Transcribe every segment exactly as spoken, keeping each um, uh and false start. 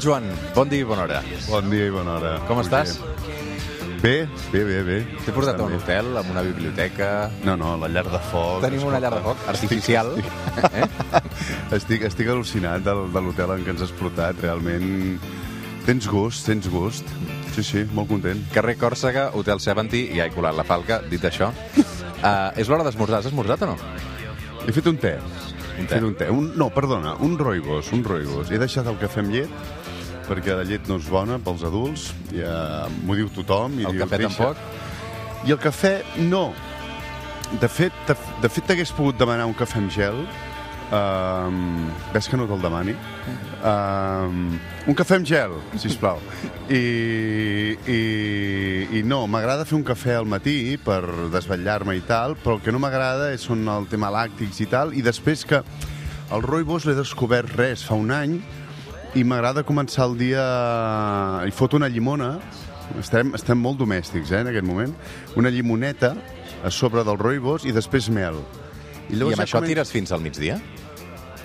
Joan, bon dia i bona hora. Bon dia i bona hora. Com estàs? Bé, bé, bé, bé. T'he portat a un hotel, amb una biblioteca... No, no, la llar de foc... Tenim una llar de foc artificial. Estic, eh? estic, estic al·lucinat de, de l'hotel en què ens has portat. Realment tens gust, tens gust. Sí, sí, molt content. Carrer Còrsega, Hotel setanta, i ja he colat la falca, dit això. Uh, és l'hora d'esmorzar. Has esmorzat o no? He fet un te. Un He te. fet un te. Un, no, perdona, un roibos, un roibos. He deixat el cafè amb llet, perquè la llet no és bona pels adults, ja m'ho diu tothom. I El dius, cafè deixa. tampoc? I el cafè, no. De fet, de, de fet t'hagués pogut demanar un cafè amb gel. Um, ves que no te'l demani? Um, un cafè amb gel, sisplau. I, i, i no, m'agrada fer un cafè al matí per desvetllar-me i tal, però el que no m'agrada són el tema làctics i tal, i després que el roibos l'he descobert res fa un any, i m'agrada començar el dia... Hi foto una llimona, estem, estem molt domèstics, eh, en aquest moment, una llimoneta a sobre del roibos i després mel. I, I amb ja això comença... tires fins al migdia?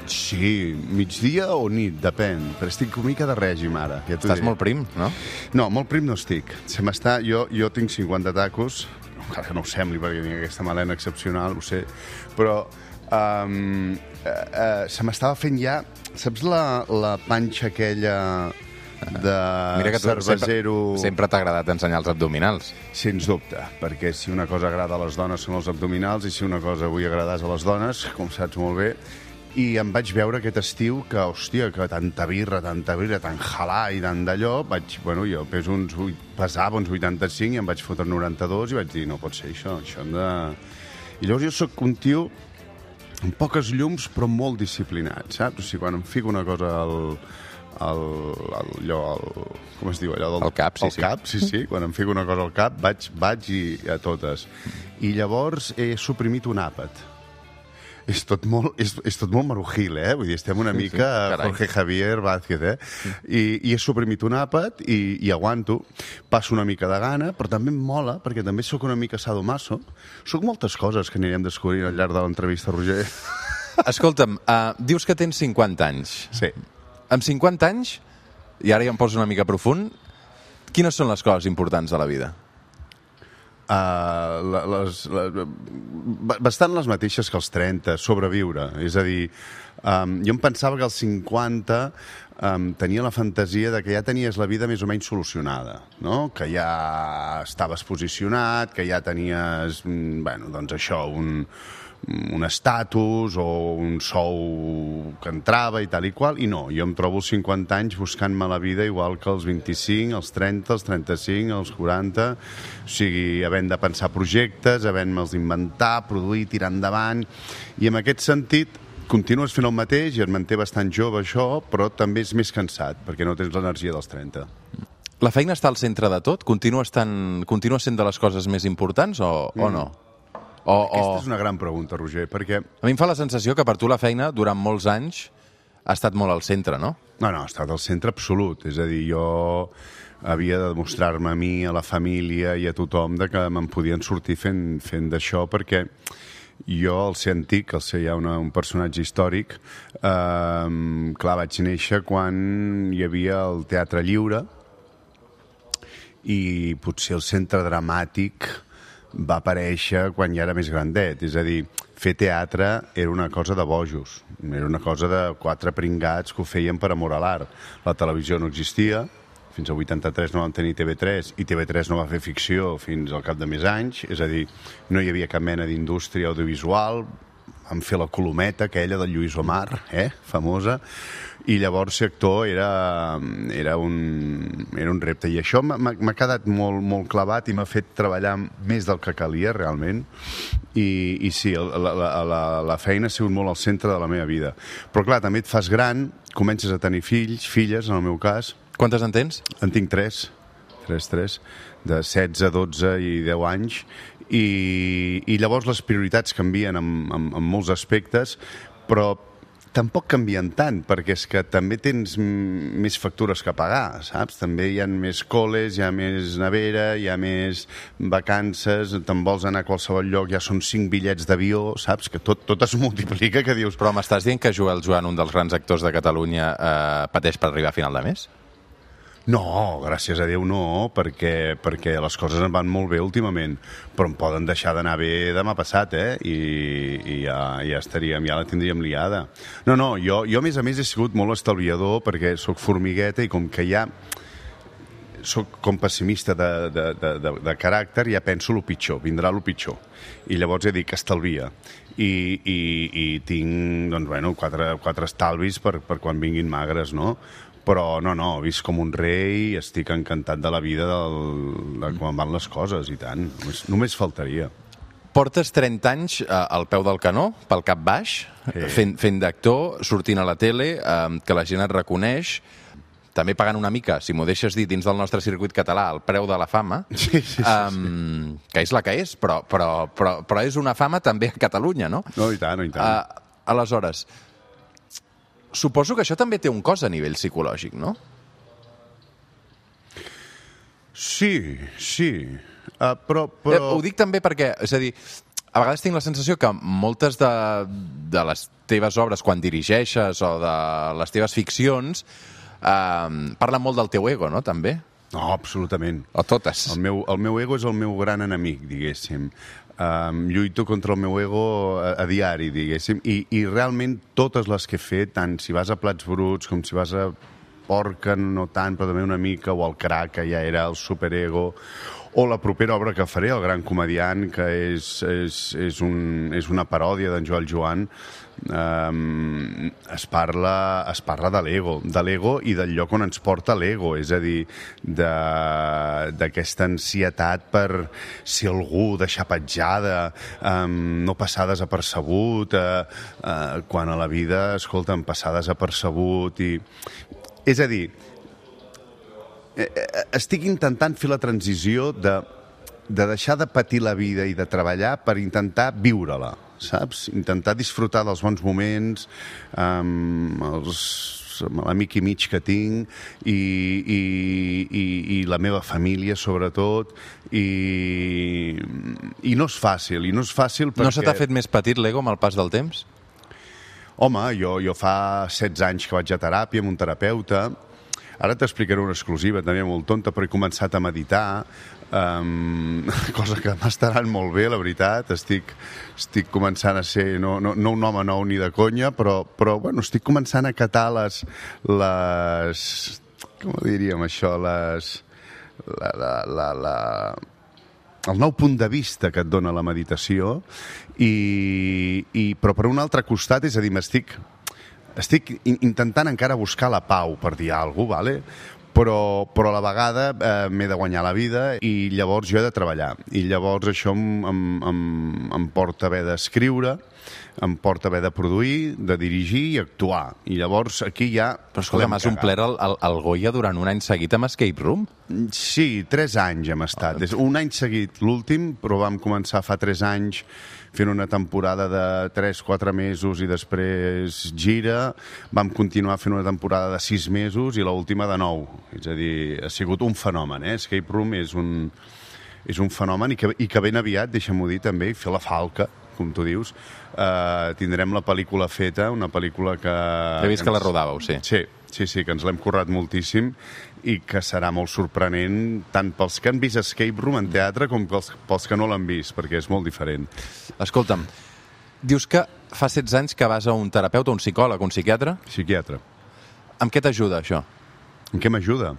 Sí, migdia o nit, depèn, però estic una mica de règim ara. Ja Estàs molt prim, no? No, molt prim no estic. Se m'està... Jo, jo tinc cinquanta tacos, encara que no ho sembli perquè tinc aquesta melena excepcional, ho sé, però um, uh, uh, se m'estava fent ja... Saps la, la panxa aquella de Mira que tu cervesero... sempre, sempre t'ha agradat ensenyar els abdominals. Sens dubte, perquè si una cosa agrada a les dones són els abdominals i si una cosa vull agradar a les dones, com saps molt bé, i em vaig veure aquest estiu que, hòstia, que tanta birra, tanta birra, tan halà i tant d'allò, vaig, bueno, jo peso uns, pesava uns vuitanta-cinc i em vaig fotre noranta-dos i vaig dir, no pot ser això, això hem de... I llavors jo sóc un tio amb poques llums però molt disciplinat, saps? O sigui, quan em fico una cosa al... al, al allò, al, com es diu allò? Del, al cap, sí, al sí. cap, sí, sí. Quan em fico una cosa al cap, vaig, vaig i a totes. I llavors he suprimit un àpat. És tot molt, és, és tot molt marujil, eh? Vull dir, estem una Sí, mica sí, carai. Jorge Javier Vázquez, eh? I, i he suprimit un àpat i, i aguanto. Passo una mica de gana, però també em mola, perquè també sóc una mica sadomaso. Sóc moltes coses que anirem descobrint al llarg de l'entrevista, Roger. Escolta'm, uh, dius que tens cinquanta anys. Sí. Amb cinquanta anys, i ara ja em poso una mica profund, quines són les coses importants de la vida? Uh, les, les, bastant les mateixes que els trenta, sobreviure. És a dir, um, jo em pensava que als cinquanta um, tenia la fantasia de que ja tenies la vida més o menys solucionada, no? Que ja estaves posicionat, que ja tenies, bueno, doncs això, un, un estatus o un sou que entrava i tal i qual, i no, jo em trobo als cinquanta anys buscant-me la vida igual que als vint-i-cinc, als trenta, als trenta-cinc, als quaranta, o sigui, havent de pensar projectes, havent-me'ls d'inventar, produir, tirar endavant, i en aquest sentit continues fent el mateix i et manté bastant jove això, però també és més cansat, perquè no tens l'energia dels trenta. La feina està al centre de tot? Continua, estant, continua sent de les coses més importants o, mm. o no? O, Aquesta o... és una gran pregunta, Roger, perquè... A mi em fa la sensació que per tu la feina, durant molts anys, ha estat molt al centre, no? No, no, ha estat al centre absolut. És a dir, jo havia de demostrar-me a mi, a la família i a tothom de que me'n podien sortir fent, fent d'això, perquè jo, al ser antic, al ser ja una, un personatge històric, eh, clar, vaig néixer quan hi havia el Teatre Lliure i potser el centre dramàtic va aparèixer quan ja era més grandet. És a dir, fer teatre era una cosa de bojos, era una cosa de quatre pringats que ho feien per amor a l'art. La televisió no existia, fins al vuitanta-tres no vam tenir T V tres, i T V tres no va fer ficció fins al cap de més anys, és a dir, no hi havia cap mena d'indústria audiovisual, vam fer la Colometa, aquella del Lluís Omar, eh, famosa, i llavors ser actor era, era, un, era un repte. I això m'ha quedat molt, molt clavat i m'ha fet treballar més del que calia, realment. I, i sí, la, la, la, la feina ha sigut molt al centre de la meva vida. Però, clar, també et fas gran, comences a tenir fills, filles, en el meu cas. Quantes en tens? En tinc tres, tres, tres, de setze, dotze i deu anys. I, i llavors les prioritats canvien en, en, en molts aspectes, però tampoc canvien tant, perquè és que també tens més factures que pagar, saps? També hi ha més coles, hi ha més nevera, hi ha més vacances, te'n vols anar a qualsevol lloc, ja són cinc bitllets d'avió, saps? Que tot, tot es multiplica, que dius... Però m'estàs dient que Joel Joan, un dels grans actors de Catalunya, eh, pateix per arribar a final de mes? No, gràcies a Déu no, perquè, perquè les coses em van molt bé últimament, però em poden deixar d'anar bé demà passat, eh? I, i ja, ja estaríem, ja la tindríem liada. No, no, jo, jo a més a més he sigut molt estalviador perquè sóc formigueta i com que ja sóc com pessimista de, de, de, de, de caràcter, ja penso el pitjor, vindrà el pitjor. I llavors he dit que estalvia. I, i, i tinc, doncs, bueno, quatre, quatre estalvis per, per quan vinguin magres, no? Però no, no, visc com un rei, estic encantat de la vida del, de com van les coses, i tant. Només, només faltaria. Portes trenta anys eh, al peu del canó, pel cap baix, sí. fent, fent d'actor, sortint a la tele, eh, que la gent et reconeix, també pagant una mica, si m'ho deixes dir, dins del nostre circuit català, el preu de la fama, sí, sí, sí, um, sí. que és la que és, però, però, però, però és una fama també a Catalunya, no? No, i tant, no, i tant. Uh, aleshores, suposo que això també té un cost a nivell psicològic, no? Sí, sí. Uh, però, però... Eh, ho dic també perquè, és a dir, a vegades tinc la sensació que moltes de, de les teves obres, quan dirigeixes, o de les teves ficcions, Uh, parla molt del teu ego, no, també? No, absolutament. O totes. El meu, el meu ego és el meu gran enemic, diguéssim. Um, lluito contra el meu ego a, a diari, diguéssim, i, i realment totes les que he fet, tant si vas a Plats Bruts com si vas a Porca, no tant, però també una mica, o el Crac, que ja era el superego, o la propera obra que faré, El gran comediant, que és, és, és, un, és una paròdia d'en Joel Joan, um, es parla, es parla de l'ego, de l'ego i del lloc on ens porta l'ego, és a dir, d'aquesta ansietat per si algú deixar petjada, um, no passar desapercebut, uh, uh, quan a la vida, escolta'm, passar desapercebut i... És a dir, estic intentant fer la transició de, de deixar de patir la vida i de treballar per intentar viure-la, saps? Intentar disfrutar dels bons moments, amb, els, amb l'amic i mig que tinc, i, i, i, i la meva família, sobretot, i, i no és fàcil, i no és fàcil perquè... No se t'ha fet més petit l'ego amb el pas del temps? Home, jo, jo fa setze anys que vaig a teràpia amb un terapeuta. Ara t'explicaré una exclusiva, també molt tonta, però he començat a meditar, um, cosa que m'estaran molt bé, la veritat. Estic, estic començant a ser, no, no, no un home nou ni de conya, però, però bueno, estic començant a catar les... les com ho diríem, això? Les... La, la, la, la, el nou punt de vista que et dona la meditació, i, i, però per un altre costat, és a dir, m'estic estic intentant encara buscar la pau, per dir alguna cosa, vale? però, però a la vegada eh, m'he de guanyar la vida i llavors jo he de treballar. I llavors això em, em, em, em porta a haver d'escriure, em porta a haver de produir, de dirigir i actuar. I llavors aquí ja... Però escolta, m'has omplert el, el, el Goya durant un any seguit amb Escape Room? Sí, tres anys hem estat. Oh. Un any seguit l'últim, però vam començar fa tres anys fent una temporada de tres quatre mesos i després gira. Vam continuar fent una temporada de sis mesos i l'última de nou. És a dir, ha sigut un fenomen, eh? Escape Room és un, és un fenomen i que, i que ben aviat, deixa'm-ho dir també, fer la falca, com tu dius, eh, tindrem la pel·lícula feta, una pel·lícula que... He vist que, ens... que la rodàveu, sí. Sí, sí, sí, que ens l'hem currat moltíssim i que serà molt sorprenent tant pels que han vist Escape Room en teatre com pels, pels que no l'han vist, perquè és molt diferent. Escolta'm, dius que fa setze anys que vas a un terapeuta, un psicòleg, un psiquiatre? Psiquiatre. Amb què t'ajuda, això? En què m'ajuda?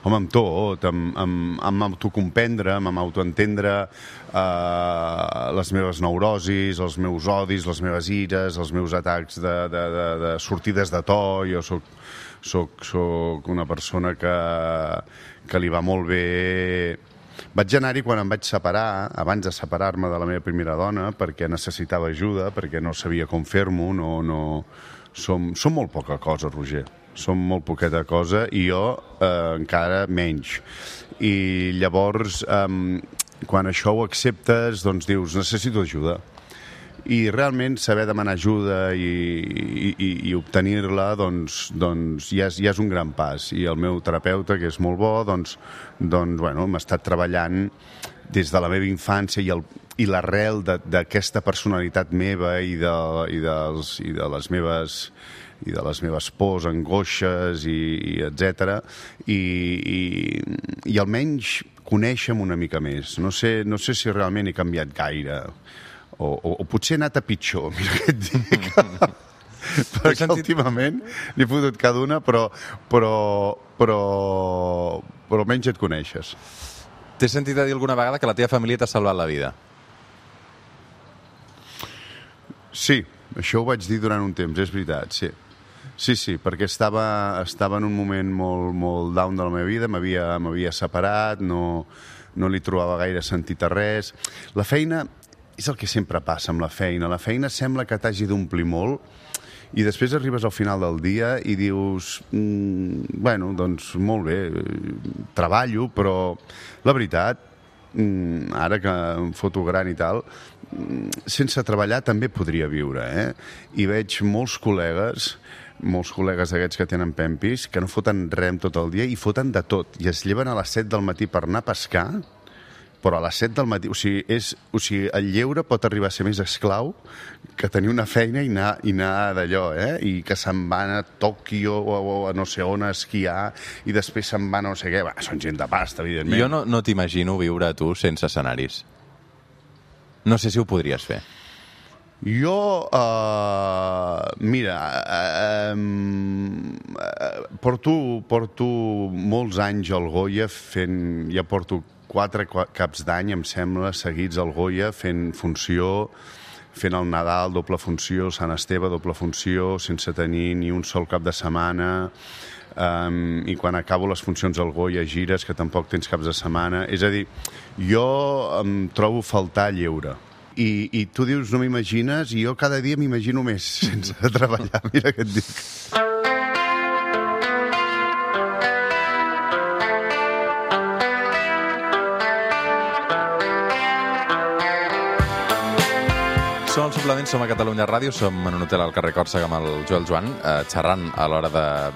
Home, amb tot, amb, amb, amb autocomprendre, amb autoentendre eh, les meves neurosis, els meus odis, les meves ires, els meus atacs de, de, de, de sortides de to. Jo soc, soc, soc una persona que, que li va molt bé... Vaig anar-hi quan em vaig separar, abans de separar-me de la meva primera dona, perquè necessitava ajuda, perquè no sabia com fer-m'ho, no, no... Som, som molt poca cosa, Roger. Som molt poqueta cosa i jo eh, encara menys. I llavors, eh, quan això ho acceptes, doncs dius, necessito ajuda. I realment saber demanar ajuda i, i, i obtenir-la, doncs, doncs ja, és, ja és un gran pas. I el meu terapeuta, que és molt bo, doncs, doncs bueno, m'ha estat treballant des de la meva infància i, el, i l'arrel d'aquesta personalitat meva i de, i, dels, i de les meves i de les meves pors, angoixes, i, i etcètera. I, i, i almenys conèixer-me una mica més. No sé, no sé si realment he canviat gaire, o, o, o potser he anat a pitjor, mira què et dic. Perquè sentit... últimament n'he fotut cada una, però, però, però, però almenys et coneixes. T'he sentit a dir alguna vegada que la teva família t'ha salvat la vida. Sí, això ho vaig dir durant un temps, és veritat, sí. Sí, sí, perquè estava, estava en un moment molt, molt down de la meva vida, m'havia separat, no, no li trobava gaire sentit a res. La feina és el que sempre passa amb la feina. La feina sembla que t'hagi d'omplir molt i després arribes al final del dia i dius, mm, bueno, doncs molt bé, treballo, però la veritat, mm, ara que em foto gran i tal, sense treballar també podria viure, eh? I veig molts col·legues, molts col·legues d'aquests que tenen pempis, que no foten rem tot el dia i foten de tot. I es lleven a les set del matí per anar a pescar, però a les set del matí... O sigui, és, o sigui, el lleure pot arribar a ser més esclau que tenir una feina i anar, i anar d'allò, eh? I que se'n van a Tòquio o, o a no sé on a esquiar i després se'n van a no sé què. Va, són gent de pasta, evidentment. Jo no, no t'imagino viure tu sense escenaris. No sé si ho podries fer. Jo, uh, mira, uh, uh, porto, porto molts anys al Goya fent... Ja porto quatre caps d'any, em sembla, seguits al Goya, fent funció, fent el Nadal, doble funció, Sant Esteve, doble funció, sense tenir ni un sol cap de setmana... Um, i quan acabo les funcions al Goya gires, que tampoc tens caps de setmana. És a dir, jo em trobo faltar lleure. I, i tu dius, no m'imagines, i jo cada dia m'imagino més sense treballar. Mira què et dic. Som al Suplement, som a Catalunya Ràdio, som en un hotel al carrer Còrsega amb el Joel Joan, eh, xerrant a l'hora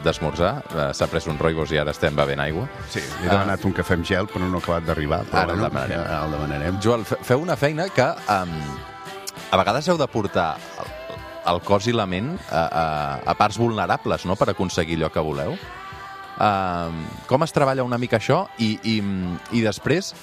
d'esmorzar. De, eh, S'ha pres un roigos i ara estem bevent aigua. Sí, he demanat uh, un cafè amb gel, però no ha acabat d'arribar. Ara el demanarem. Ja el demanarem. Joel, feu una feina que um, a vegades heu de portar el, el cos i la ment a, a, a parts vulnerables, no?, per aconseguir allò que voleu. Uh, com es treballa una mica això? I, i, i després...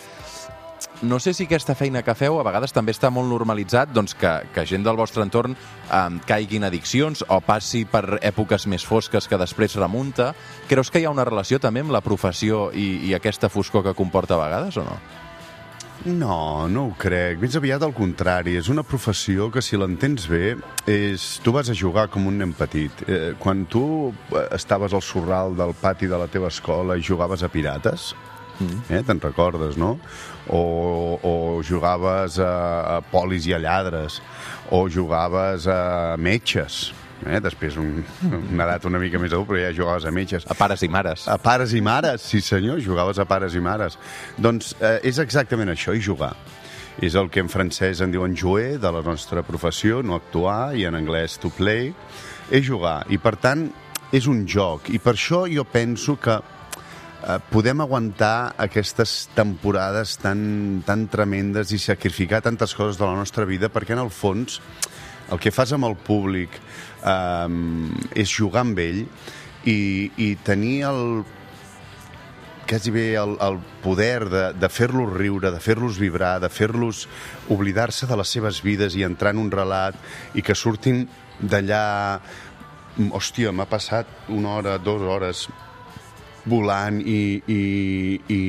No sé si aquesta feina que feu a vegades també està molt normalitzat, doncs, que, que gent del vostre entorn eh, caigui en addiccions o passi per èpoques més fosques que després remunta. Creus que hi ha una relació també amb la professió i, i aquesta foscor que comporta a vegades o no? No, no ho crec. Més aviat al contrari. És una professió que, si l'entens bé, és... tu vas a jugar com un nen petit. Eh, quan tu estaves al sorral del pati de la teva escola i jugaves a pirates, mm. eh, te'n recordes, no? O, o jugaves a, a polis i a lladres, o jugaves a metges, eh? Després un, una edat una mica més adult, però ja jugaves a metges. A pares i mares. A pares i mares, sí senyor, jugaves a pares i mares. Doncs eh, és exactament això, i jugar. És el que en francès en diuen jouer, de la nostra professió, no actuar, i en anglès to play, és jugar. I per tant, és un joc. I per això jo penso que podem aguantar aquestes temporades tan, tan tremendes i sacrificar tantes coses de la nostra vida, perquè en el fons el que fas amb el públic eh, és jugar amb ell i, i tenir el quasi bé el, el poder de, de fer-los riure, de fer-los vibrar, de fer-los oblidar-se de les seves vides i entrar en un relat i que surtin d'allà. Hòstia, m'ha passat una hora, dues hores volant i i, i,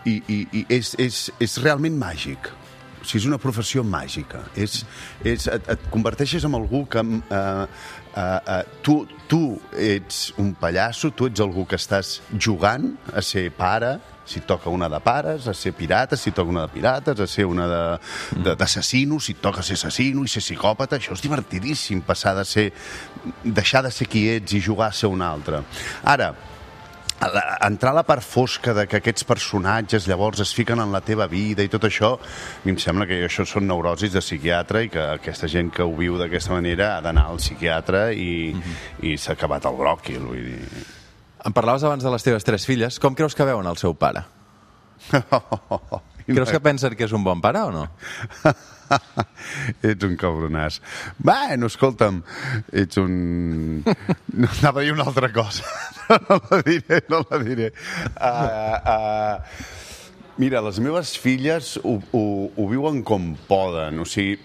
i, i, i és, és, és realment màgic. O sigui, és una professió màgica. És, és, et, et converteixes en algú que... Uh, uh, uh, tu, tu ets un pallasso, tu ets algú que estàs jugant a ser pare, si et toca una de pares, a ser pirata, si et toca una de pirates, a ser una d'assassino, si et toca ser assassino i ser psicòpata. Això és divertidíssim, passar de ser... deixar de ser qui ets i jugar a ser un altre. Ara, entrar a la part fosca de que aquests personatges llavors es fiquen en la teva vida i tot això, a mi em sembla que això són neurosis de psiquiatre i que aquesta gent que ho viu d'aquesta manera ha d'anar al psiquiatre i, mm-hmm. i s'ha acabat el bròquil, vull dir... Em parlaves abans de les teves tres filles. Com creus que veuen el seu pare? Creus que pensen que és un bon pare o no? Ets un cabronàs. Bueno, escolta'm, ets un... No, anava a dir una altra cosa. No la diré, no la diré. Uh, uh, mira, les meves filles ho, ho, ho viuen com poden. O sigui,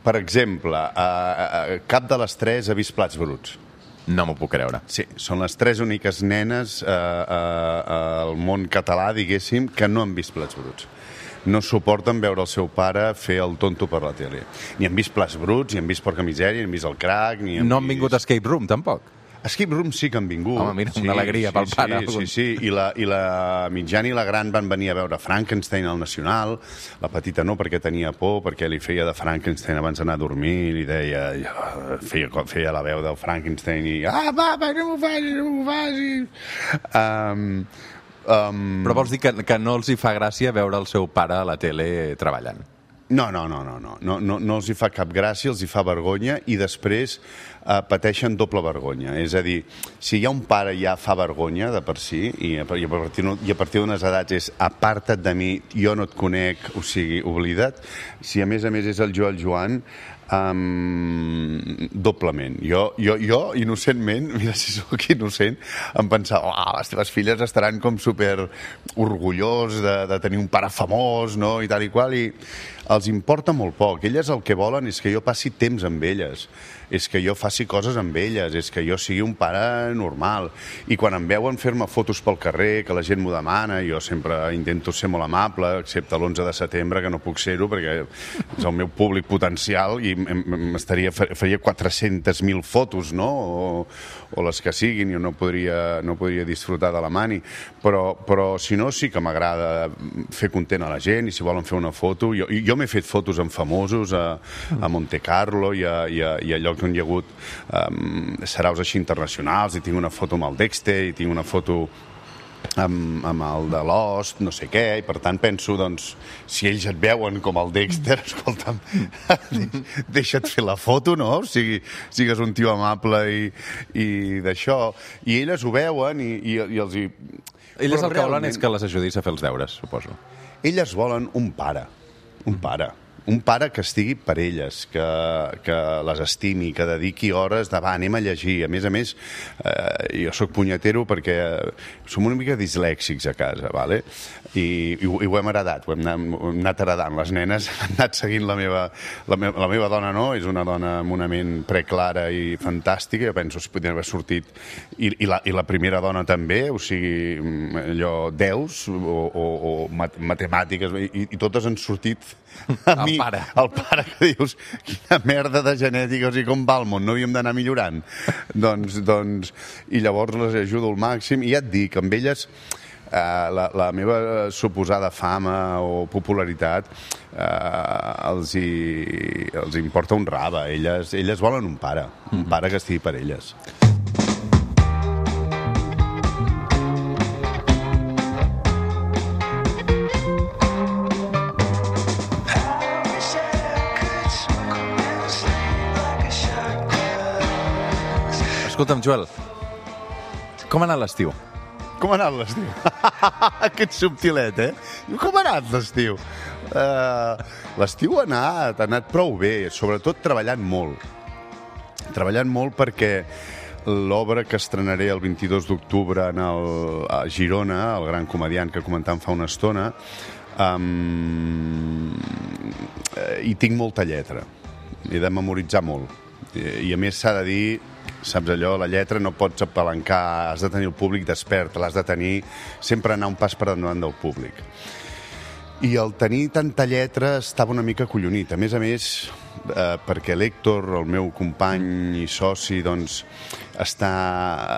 per exemple, uh, uh, cap de les tres ha vist Plats Bruts. No m'ho puc creure. Sí, són les tres úniques nenes uh, uh, al món català, diguéssim, que no han vist Plats Bruts. No suporten veure el seu pare fer el tonto per la tele. Ni han vist Plats Bruts, ni han vist Porca Misèria, ni han vist El Crac, ni han No han vist... vingut a Escape Room, tampoc? Escape Room sí que han vingut. Home, mira, sí, una alegria sí, pel sí, pare. Sí, sí, sí. I la, i la mitjana i la gran van venir a veure Frankenstein al Nacional. La petita no, perquè tenia por, perquè li feia de Frankenstein abans d'anar a dormir, i deia... Feia, feia la veu del Frankenstein i... Ah, papa, no m'ho facis, no m'ho facis! Um, um... Però vols dir que, que no els hi fa gràcia veure el seu pare a la tele treballant? No, no, no, no, no, no, no, no els hi fa cap gràcia, els hi fa vergonya i després eh, pateixen doble vergonya. És a dir, si hi ha un pare ja fa vergonya de per si i a, i a partir, i a partir d'unes edats és aparta't de mi, jo no et conec, o sigui, oblida't. Si a més a més és el Joel Joan, Um, doblement. Jo, jo, jo, innocentment, mira si sóc innocent, em pensava, oh, les teves filles estaran com super orgullós de, de tenir un pare famós, no?, i tal i qual, i els importa molt poc. Elles el que volen és que jo passi temps amb elles, és que jo faci coses amb elles, és que jo sigui un pare normal. I quan em veuen fer-me fotos pel carrer, que la gent m'ho demana, jo sempre intento ser molt amable, excepte l'onze de setembre, que no puc ser-ho, perquè és el meu públic potencial i m'estaria, faria quatre-centes mil fotos, no?, o, o les que siguin, jo no podria, no podria disfrutar de la mani. Però, però si no, sí que m'agrada fer content a la gent, i si volen fer una foto... Jo, jo m'he fet fotos amb famosos a, a Monte Carlo i a, i, a, i a llocs on hi ha hagut um, saraus així internacionals, i tinc una foto amb el Dexter, i tinc una foto amb, amb el de Lost, no sé què, i per tant penso, doncs, si ells et veuen com el Dexter, escolta'm, deixa't fer la foto, no? O sigui, sigues un tio amable i, i d'això. I elles ho veuen i, i, i els hi... Elles el que volen és que les ajudis a fer els deures, suposo. Elles volen un pare, un pare. Un pare que estigui per elles, que, que les estimi, que dediqui hores de, va, anem a llegir. A més a més, eh, jo sóc punyetero perquè som una mica dislèxics a casa, vale? I, i, ho, i ho hem heredat, ho hem anat, ho hem anat heredant. Les nenes han anat seguint la meva, la meva, la meva dona, no? És una dona amb una ment preclara i fantàstica, jo penso que podria haver sortit, i, i, la, i la primera dona també, o sigui, allò, deus o, o, o matemàtiques, i, i totes han sortit a mi, el pare. El pare que dius, quina merda de genètica, o sigui, com va el món, no havíem d'anar millorant. doncs, doncs, i llavors les ajudo al màxim, i ja et dic, amb elles eh, la, la meva suposada fama o popularitat eh, els, hi, els importa un rave. Elles, elles volen un pare, un pare que estigui per elles. Escolta'm, Joel, com ha anat l'estiu? Com ha anat l'estiu? Aquest subtilet, eh? Com ha anat l'estiu? Uh, l'estiu ha anat, ha anat prou bé, sobretot treballant molt. Treballant molt perquè l'obra que estrenaré el vint-i-dos d'octubre en el, a Girona, el gran comediant que comentàvem fa una estona, um, hi tinc molta lletra. He de memoritzar molt. I, i a més s'ha de dir, saps allò, la lletra no pots apalancar, has de tenir el públic despert, l'has de tenir, sempre anar un pas per endavant del públic. I el tenir tanta lletra estava una mica collonit. A més a més, eh, perquè l'Héctor, el meu company i soci, doncs, està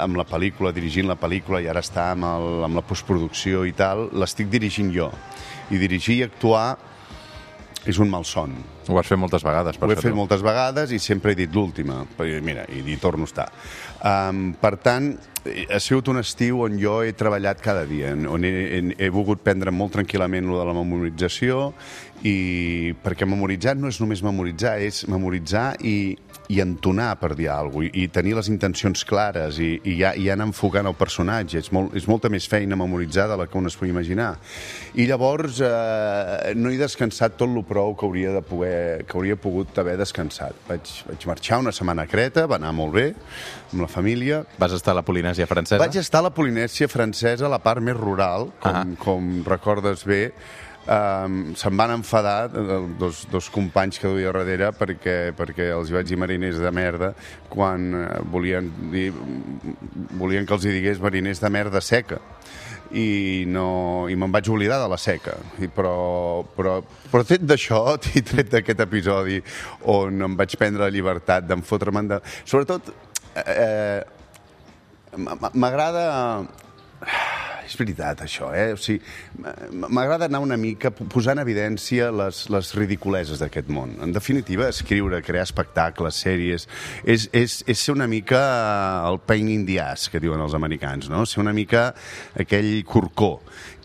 amb la pel·lícula, dirigint la pel·lícula, i ara està amb, el, amb la postproducció i tal, l'estic dirigint jo. I dirigir i actuar és un malson. Ho has fet moltes vegades, per Ho he això, fet tu. moltes vegades i sempre he dit l'última. Mira, i hi torno a estar. Um, per tant, ha sigut un estiu on jo he treballat cada dia, on he, he, he volgut prendre molt tranquil·lament lo de la memorització, i perquè memoritzar no és només memoritzar, és memoritzar i i entonar per dir alguna cosa, i, i tenir les intencions clares, i, i, ja, i anar enfocant el personatge. És, molt, és molta més feina memoritzada de la que un es pugui imaginar. I llavors eh, no he descansat tot lo prou que hauria, de poder, que hauria pogut haver descansat. Vaig, vaig marxar una setmana a Creta, va anar molt bé, amb la família. Vas estar a la Polinèsia francesa? Vaig estar a la Polinèsia francesa, a la part més rural, com, uh-huh. com recordes bé. Um, se'n van enfadar dos, dos companys que duia darrere perquè, perquè els vaig dir mariners de merda quan volien, dir, volien que els hi digués mariners de merda seca i, no, i me'n vaig oblidar de la seca. I però, però, però tret d'això, i tret d'aquest episodi on em vaig prendre la llibertat d'en fotre'm de... Sobretot, eh, m'agrada... És veritat, això, eh? O sigui, m'agrada anar una mica posant en evidència les, les ridiculeses d'aquest món. En definitiva, escriure, crear espectacles, sèries, és, és, és ser una mica el pain in the ass, que diuen els americans, no? Ser una mica aquell corcó.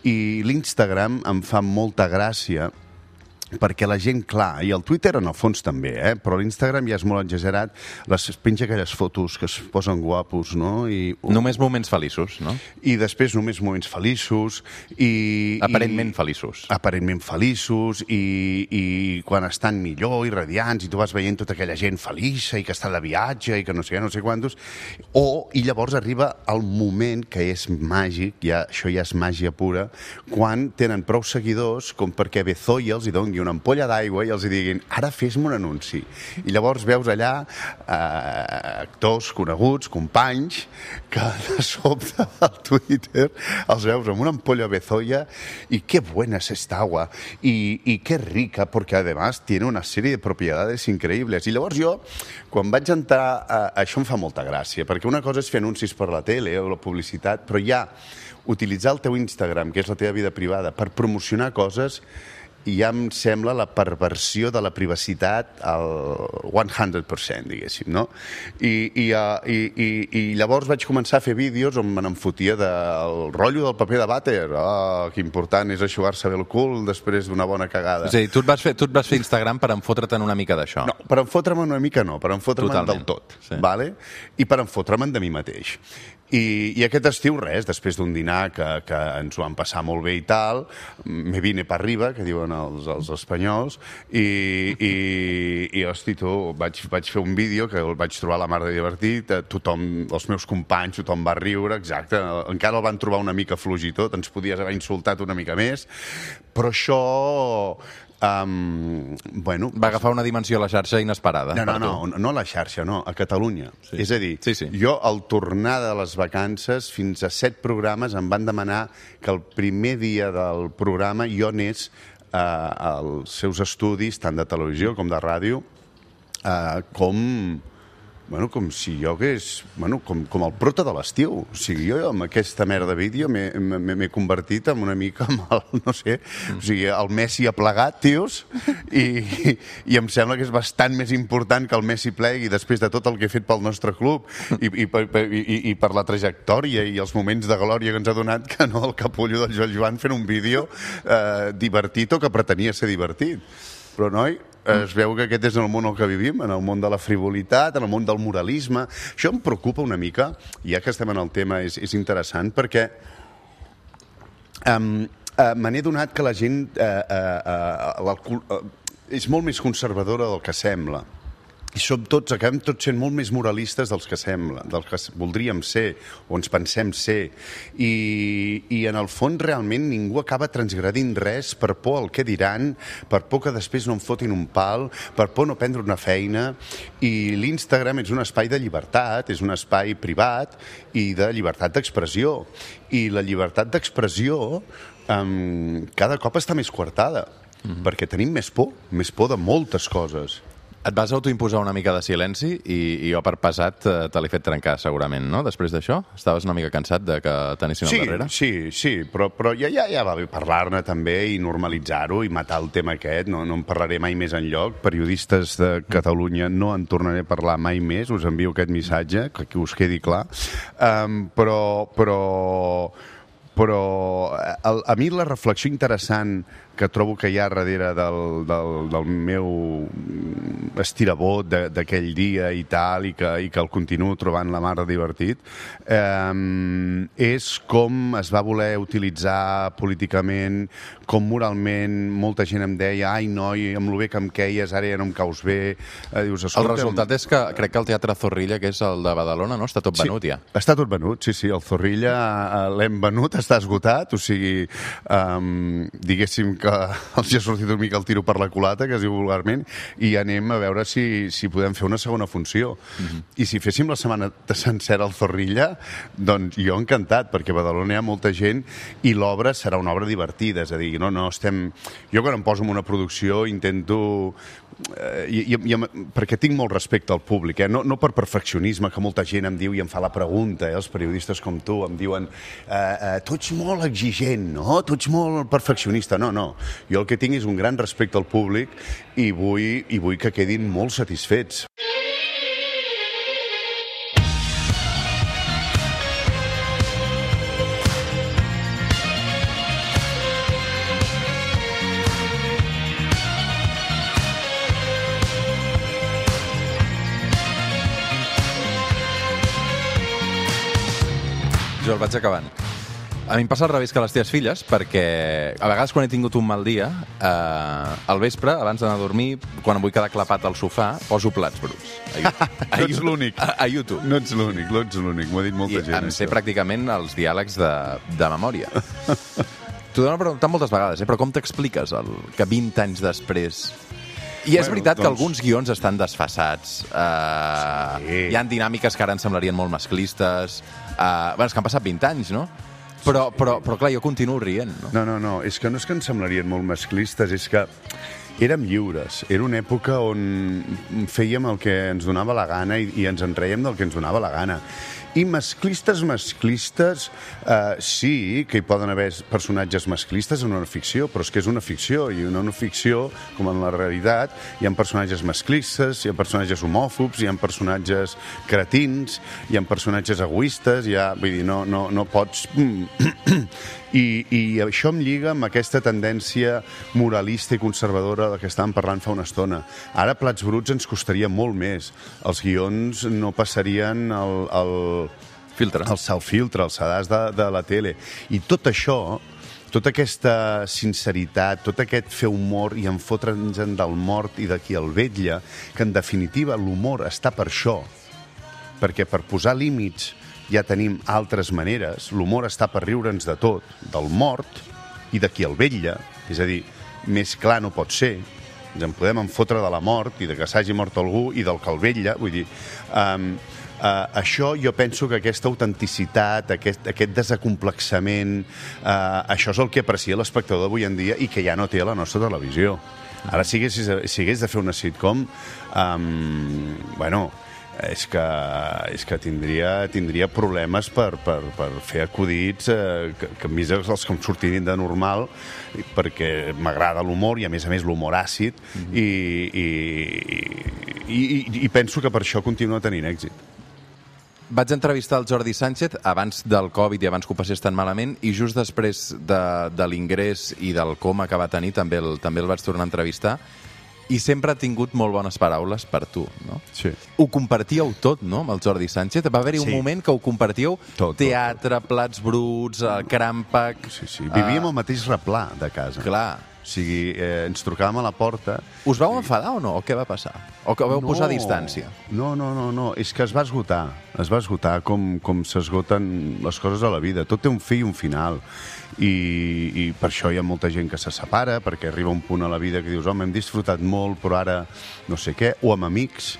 I l'Instagram em fa molta gràcia perquè la gent, clar, i el Twitter en el fons també, eh? Però l'Instagram ja és molt exagerat, les penja aquelles fotos que es posen guapos, no? I, uh, només moments feliços, no? I després només moments feliços i... Aparentment i, feliços. Aparentment feliços i, i quan estan millor i radiants i tu vas veient tota aquella gent feliça i que està de viatge i que no sé què, no sé quantos, o, i llavors arriba el moment que és màgic, ja, això ja és màgia pura, quan tenen prou seguidors com perquè Bezoya els hi doni una ampolla d'aigua i els diguin, ara fes-me un anunci. I llavors veus allà eh, actors coneguts, companys, que de sobte al Twitter els veus amb una ampolla Bezoya i qué buena es esta agua y, y qué rica, porque además tiene una serie de propiedades increíbles. I llavors jo, quan vaig entrar, eh, això em fa molta gràcia, perquè una cosa és fer anuncis per la tele o la publicitat, però ja utilitzar el teu Instagram, que és la teva vida privada, per promocionar coses, i ja em sembla la perversió de la privacitat al cent per cent, diguéssim, no? I, i, i, i, i llavors vaig començar a fer vídeos on me n'enfotia del rotllo del paper de vàter. Ah, que important és eixugar-se bé el cul després d'una bona cagada. És a dir, tu et vas fer, tu et vas fer Instagram per enfotre'te'n una mica d'això. No, per enfotre'm una mica no, per enfotre'm del tot, sí. Vale? I per enfotre'm de mi mateix. I, i aquest estiu, res, després d'un dinar que, que ens ho vam passar molt bé i tal, me vine per arriba, que diuen els, els espanyols, i, i, i hosti, tu, vaig, vaig fer un vídeo que el vaig trobar la mar de divertit, tothom, els meus companys, tothom va riure, exacte, encara el van trobar una mica fluix i tot, ens podies haver insultat una mica més, però això... Um, bueno, va agafar una dimensió a la xarxa inesperada. No, no, no, no a la xarxa, no, a Catalunya. Sí. És a dir, sí, sí. Jo al tornar de les vacances fins a set programes em van demanar que el primer dia del programa jo anés uh, als seus estudis, tant de televisió com de ràdio, uh, com... Bueno, com si jo hagués... Bueno, com, com el prota de l'estiu. O sigui, jo amb aquesta merda de vídeo m'he convertit en una mica amb el, no sé, o sigui, el Messi ha plegat, tios, i, i, i em sembla que és bastant més important que el Messi plegui després de tot el que he fet pel nostre club i, i, i, i per la trajectòria i els moments de glòria que ens ha donat que no el capullo del Joel Joan fent un vídeo eh, divertit o que pretenia ser divertit. Però, noi, es veu que aquest és el món en què vivim, en el món de la frivolitat, en el món del moralisme. Això em preocupa una mica, ja que estem en el tema és, és interessant, perquè um, uh, me n'he donat que la gent uh, uh, uh, uh, és molt més conservadora del que sembla. I som tots, acabem tots sent molt més moralistes dels que sembla, dels que voldríem ser, o ens pensem ser. I, i en el fons realment ningú acaba transgredint res per por al què diran, per por que després no em fotin un pal, per por no prendre una feina. I l'Instagram és un espai de llibertat, és un espai privat i de llibertat d'expressió. I la llibertat d'expressió um, cada cop està més coartada, mm-hmm. perquè tenim més por, més por de moltes coses. Et vas autoimposar una mica de silenci i, i jo per pesat te l'he fet trencar segurament, no? Després d'això? Estaves una mica cansat de que t'anessin sí, al darrere? Sí, sí, però, però ja, ja, ja va bé parlar-ne també i normalitzar-ho i matar el tema aquest. No, no en parlaré mai més enlloc. Periodistes de Catalunya no en tornaré a parlar mai més. Us envio aquest missatge, que us quedi clar. Um, però... però... però a, a mi la reflexió interessant que que trobo que hi ha darrere del, del, del meu estirabot d'aquell dia i tal, i que, i que el continuo trobant la mar de divertit, eh, és com es va voler utilitzar políticament, com moralment molta gent em deia ai noi, amb lo bé que em queies, ara ja no em caus bé. Eh, dius, el resultat és que crec que el Teatre Zorrilla, que és el de Badalona, no? Està tot venut, sí, ja. Està tot venut, sí, sí. El Zorrilla eh, l'hem venut, està esgotat, o sigui, um, diguéssim que els ha sortit una mica el tiro per la culata, que es diu vulgarment, i anem a veure si, si podem fer una segona funció. Mm-hmm. I si féssim la setmana sencera al Zorrilla, doncs jo encantat, perquè a Badalona hi ha molta gent i l'obra serà una obra divertida, és a dir, no, no estem... Jo quan em poso en una producció intento... Eh, i, i, perquè tinc molt respecte al públic, eh? no, no per perfeccionisme, que molta gent em diu i em fa la pregunta, eh? Els periodistes com tu em diuen eh, eh, tu ets molt exigent, no? Tu ets molt perfeccionista. No, no. Jo el que tinc és un gran respecte al públic i vull, i vull que quedin molt satisfets. Jo el vaig acabant. A mi em passa al revés que a les teves filles, perquè a vegades quan he tingut un mal dia, eh, al vespre, abans d'anar a dormir, quan em vull quedar clapat al sofà, poso plats bruts. A YouTube. No ets l'únic. A, a YouTube. No ets l'únic, no ets l'únic. M'ho ha dit molta I gent. em sé això. pràcticament els diàlegs de, de memòria. T'ho dono preguntant moltes vegades, eh? Però com t'expliques el, que vint anys després... I és bueno, veritat doncs... que alguns guions estan desfasats. Uh, sí. Hi ha dinàmiques que ara ens semblarien molt masclistes. Uh, bueno, és que han passat vint anys, no? Però, sí. però, però clar, jo continuo rient, no? No, no, no. És que no és que ens semblarien molt masclistes, és que érem lliures. Era una època on fèiem el que ens donava la gana i, i ens en rèiem del que ens donava la gana. I masclistes, masclistes, eh, sí que hi poden haver personatges masclistes en una ficció, però és que és una ficció, i en una ficció, com en la realitat, hi ha personatges masclistes, hi ha personatges homòfobs, hi ha personatges cretins, hi ha personatges egoistes, hi ha, vull dir, no, no, no pots... I, I això em lliga amb aquesta tendència moralista i conservadora de la que estàvem parlant fa una estona. Ara, Plats Bruts ens costaria molt més. Els guions no passarien el, el, filtre. el self-filtre, el sedàs de, de la tele. I tot això, tota aquesta sinceritat, tot aquest fer humor i enfotre'ns del mort i de qui el vetlla, que en definitiva l'humor està per això, perquè per posar límits ja tenim altres maneres. L'humor està per riure'ns de tot, del mort i de qui el vetlla. És a dir, més clar no pot ser. Ens en podem enfotre de la mort i de que s'hagi mort algú i del que el vetlla. Vull dir, um, uh, això jo penso que aquesta autenticitat, aquest, aquest desacomplexament, uh, això és el que aprecia l'espectador d'avui en dia i que ja no té a la nostra televisió. Ara, si hagués, si hagués de fer una sitcom, um, bueno... és que, és que tindria, tindria problemes per, per, per fer acudits eh, que, que a mi els que em sortirien de normal, perquè m'agrada l'humor i a més a més l'humor àcid, mm-hmm. i, i, i, i, i penso que per això continua tenint èxit. Vaig entrevistar el Jordi Sánchez abans del Covid i abans que ho passés tan malament, i just després de, de l'ingrés i del coma que va tenir també el, també el vaig tornar a entrevistar. I sempre ha tingut molt bones paraules per tu, no? Sí. Ho compartíeu tot, no?, amb el Jordi Sánchez. Va haver-hi un sí. moment que ho compartíeu tot, teatre, tot, tot. Plats Bruts, Crampac... Sí, sí. Vivíem uh... al mateix replà de casa. Clar. O sigui, eh, ens trucàvem a la porta... Us vau i... enfadar o no? O què va passar? O que vau no, posar a distància? No, no, no, no. És que es va esgotar. Es va esgotar com, com s'esgoten les coses a la vida. Tot té un fi i un final. I, i per això hi ha molta gent que se separa, perquè arriba un punt a la vida que dius, home, hem disfrutat molt, però ara no sé què, o amb amics,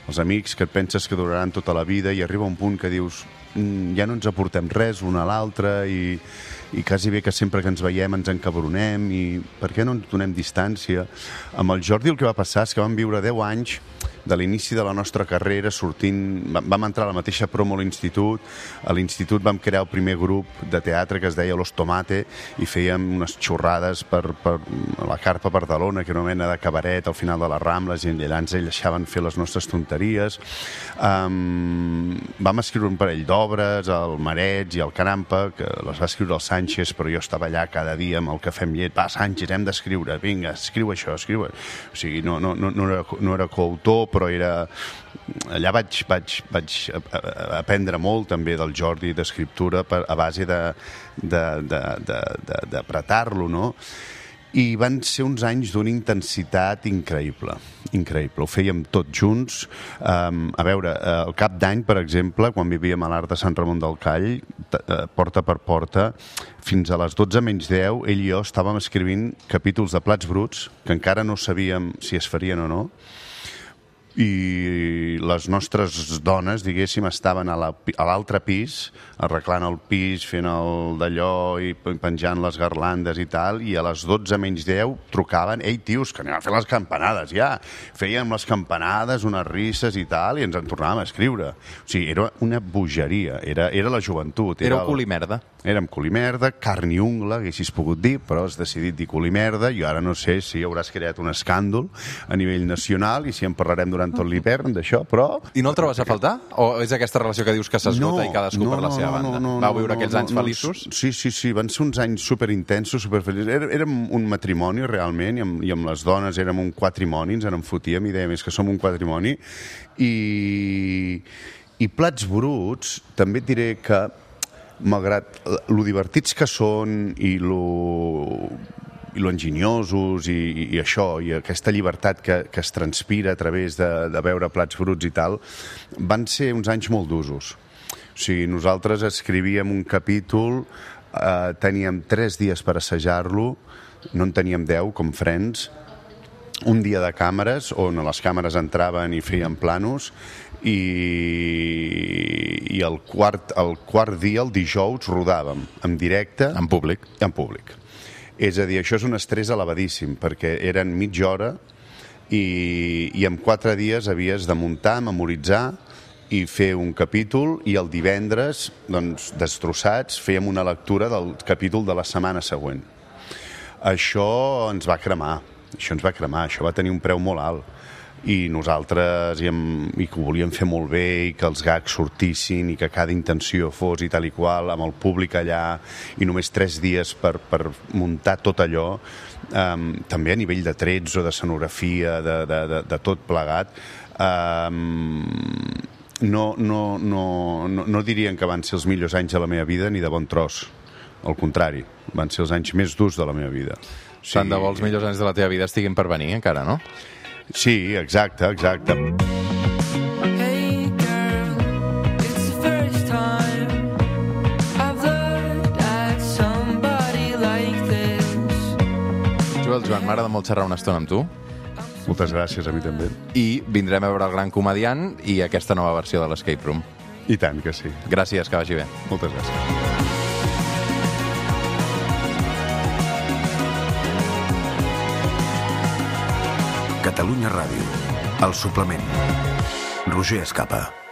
els amics que et penses que duraran tota la vida, i arriba un punt que dius, mm, ja no ens aportem res un a l'altre, i, i quasi bé que sempre que ens veiem ens encabronem, i per què no ens donem distància? Amb el Jordi el que va passar és que vam viure deu anys de l'inici de la nostra carrera, sortint... Vam entrar a la mateixa promo a l'institut. A l'institut vam crear el primer grup de teatre que es deia Los Tomate i fèiem unes xorrades per, per la Carpa Barcelona, que era una mena de cabaret al final de les Rambles, i allà ens deixaven fer les nostres tonteries. Um, vam escriure un parell d'obres, obres, el Mareig i el Carampa, que les va escriure el Sánchez, però jo estava allà cada dia amb el cafè amb llet. Va, Sánchez, hem d'escriure, vinga, escriu això, escriu... O sigui, no, no, no, no, era, no era coautor, però era... Allà vaig, vaig, vaig aprendre molt també del Jordi d'escriptura a base de, de, de, de, de, d'apretar-lo, no? I van ser uns anys d'una intensitat increïble, increïble. Ho fèiem tots junts. Um, a veure, el cap d'any, per exemple, quan vivíem a l'Arc de Sant Ramon del Call, porta per porta, fins a les dotze menys deu, ell i jo estàvem escrivint capítols de Plats Bruts, que encara no sabíem si es farien o no, i les nostres dones, diguéssim, estaven a l'altre pis, arreglant el pis, fent el d'allò i penjant les garlandes i tal, i a les dotze menys deu trucaven, ei, tios, que anem a fer les campanades, ja. Fèiem les campanades, unes risses i tal, i ens en tornàvem a escriure. O sigui, era una bogeria, era, era la joventut. Éreu el... cul i merda. Érem cul i merda, carn i ungla, haguessis pogut dir, però has decidit dir cul i merda, i ara no sé si hauràs creat un escàndol a nivell nacional, i si en parlarem durant tot l'hivern d'això, però... I no el trobes a faltar? O és aquesta relació que dius que s'esgota no, i cadascú no, per la seva banda? No, no, no, Vau viure no, aquells no, anys no, feliços? No, sí, sí, sí, van ser uns anys superintensos, superfeliços. Érem un matrimoni, realment, i amb, i amb les dones érem un quatrimoni, ens en fotíem i dèiem, és que som un quatrimoni, i, i Plats Bruts, també et diré que, malgrat lo divertits que són i lo... i lo enginyosos i, i això, i aquesta llibertat que, que es transpira a través de, de veure Plats Bruts i tal, van ser uns anys molt d'usos. O sigui, nosaltres escrivíem un capítol, eh, teníem tres dies per assajar-lo, no en teníem deu, com Friends, un dia de càmeres, on les càmeres entraven i feien planos, i, i el, quart, el quart dia, el dijous, rodàvem en directe... En públic. En públic. És a dir, això és un estrès elevadíssim, perquè eren mitja hora i, i en quatre dies havies de muntar, memoritzar i fer un capítol, i el divendres, doncs, destrossats, fèiem una lectura del capítol de la setmana següent. Això ens va cremar, això ens va cremar, això va tenir un preu molt alt. I nosaltres i, amb, i que ho volíem fer molt bé i que els gags sortissin i que cada intenció fos i tal i qual, amb el públic allà i només tres dies per, per muntar tot allò, um, també a nivell de trets o de escenografia, de, de, de, de tot plegat, um, no, no, no, no, no dirien que van ser els millors anys de la meva vida ni de bon tros. Al contrari, van ser els anys més durs de la meva vida. O sigui... Tant de bo els millors anys de la teva vida estiguin per venir, encara, no? Sí, exacte, exacte. Hey girl, it's the first time I've looked at somebody like this. Joel, Joan, m'agrada molt xerrar una estona amb tu. Moltes gràcies, a mi també. I vindrem a veure el Gran Comediant i aquesta nova versió de l'Escape Room. I tant que sí. Gràcies, que vagi bé. Moltes gràcies. Catalunya Ràdio, el suplement. Roger Escapa.